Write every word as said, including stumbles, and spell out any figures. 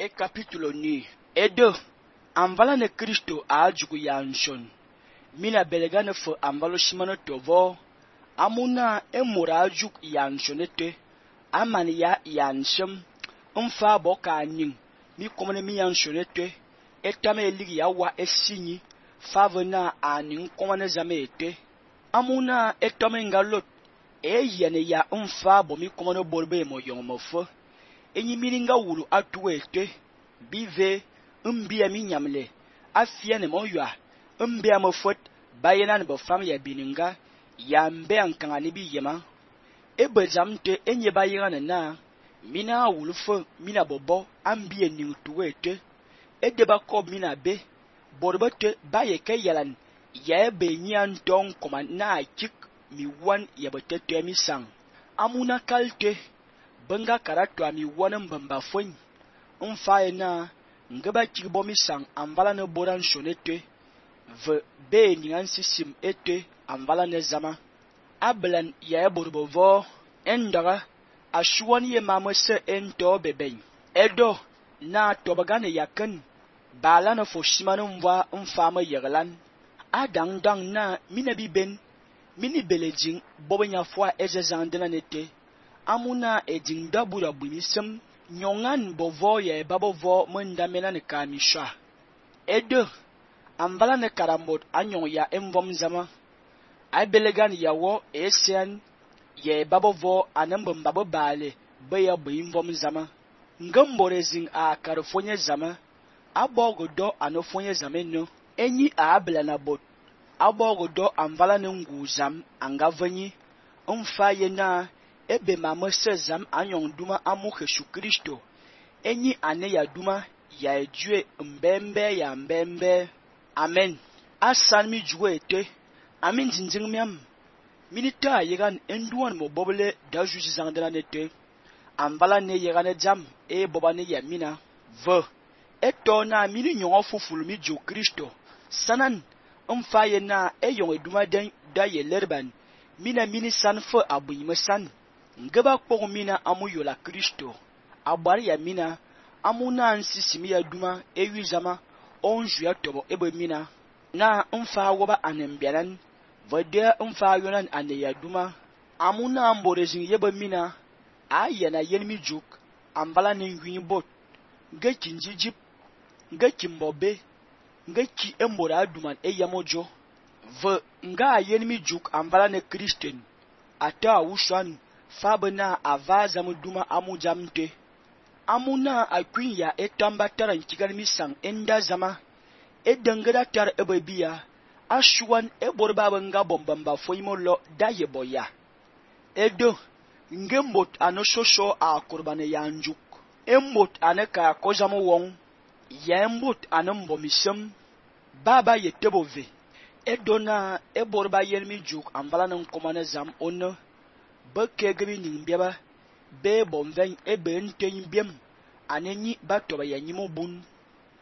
e capítulo ni. E deux, anvala ne Kristo a jugu ya nshon. Mina belega ne fe anvalo shimano tovo. Amuna e mura juk ya nshonete. Amani ya ya nshem. Mfa boka ning. Mi komene mi ya nshonete. Etame ligi ya wa esinyi. Favena aning komene zame ete. Amuna etome ngalot. E yene ya mfa bo mi komene borbe mo yong mo fe. Enyi miringa wulu atuete. Bive. Mbia mi nyamle. Afia ne mo ywa. Mbia mo fote. Bayena ne bo fam ya bininga. Ya mbe ankanga ni bi yema. Ebe zamte enye bayira ne na. Mina wulu fe. Mina bobo. Ambie ning tuwete. Edeba kob mina be. Borbete baye ke yalan. Ya ebe nyan tong koma na chik. Mi wan yabete te mi sang. Amuna kalte. Benga karatwa mi wan mbamba fwen. Mfaye na. Ngeba chikbo mi sang. Anvala ne boran shonete. Ve be ningan sisim ete. Anvala ne zama. Ablan ya borbo vo. Endaga. Ashuan ye mamese ento bebeng. Edo. Na tobagane yaken. Bala ne foshimano mwa mfama yeglan. Adang dang na minabi ben. Mini belejing bobe nya fwa eze zandela nete. Amuna eding dabura bunisem. Nyongan bovo ye babo vo mwenda mena ne kamisha. Edo. Anvala ne karambot anyong ya emvom zama. Ay belegan ya wo esian. Ye babo vo anembambabo bale. Beya buimvom zama. Ngemborezing a karafonye zama. Abogo do anofonye zame no. Enyi a abela na bot. Abogo do anvala ne nguzam angavanyi. Mfaye na ebe mamese zam anyong duma amu Jesu Kristo. Enyi ane ya duma ya ejue mbembe ya mbembe. Amen. Asan mi juwe ete. Amin zinzing miam. Minita yegan enduan mo bobele da juzi zangdela nete. Anvala ne yegane jam e boba ne ya mina. Ve. Eto na mini nyongo fufulu mi jo Kristo. Sanan. Mfaye na e yong eduma den da ye lerban. Mina mini san fe abu yime san. Ngeba kpong mina amu yola Kristo. Abari ya mina. Amu na ansisimi ya duma e wizama. Onju ya tobo ebe mina. Na mfa woba anembianan. Vede mfa yonan ane ya duma. Amu na amborezing yebe mina. Aya na yenmi juk. Ambala ne yun bot. Nge kinjijip. Nge kimbobe. Nge ki embora aduman e yamojo. Ve nga yenmi juk ambala ne Kristen. Ata wushan. Fabena avaza muduma amu jamte. Amuna akwin ya etamba taran kigal misang enda zama. E dengeda tar ebebia. Ashuan e borba nga bombamba foimolo da yeboya. Edo. Ngembot ano shosho a kurbane yanjuk. Embot ane ka kojamu wong. Yembot ane mbomisem. Baba yetebove. Edo na e borba yenmi juk ambala nan komane zam ono. Beke gebi nimbiaba. Be bonven ebe nten biem. Anenyi batoba ya nyimo bun.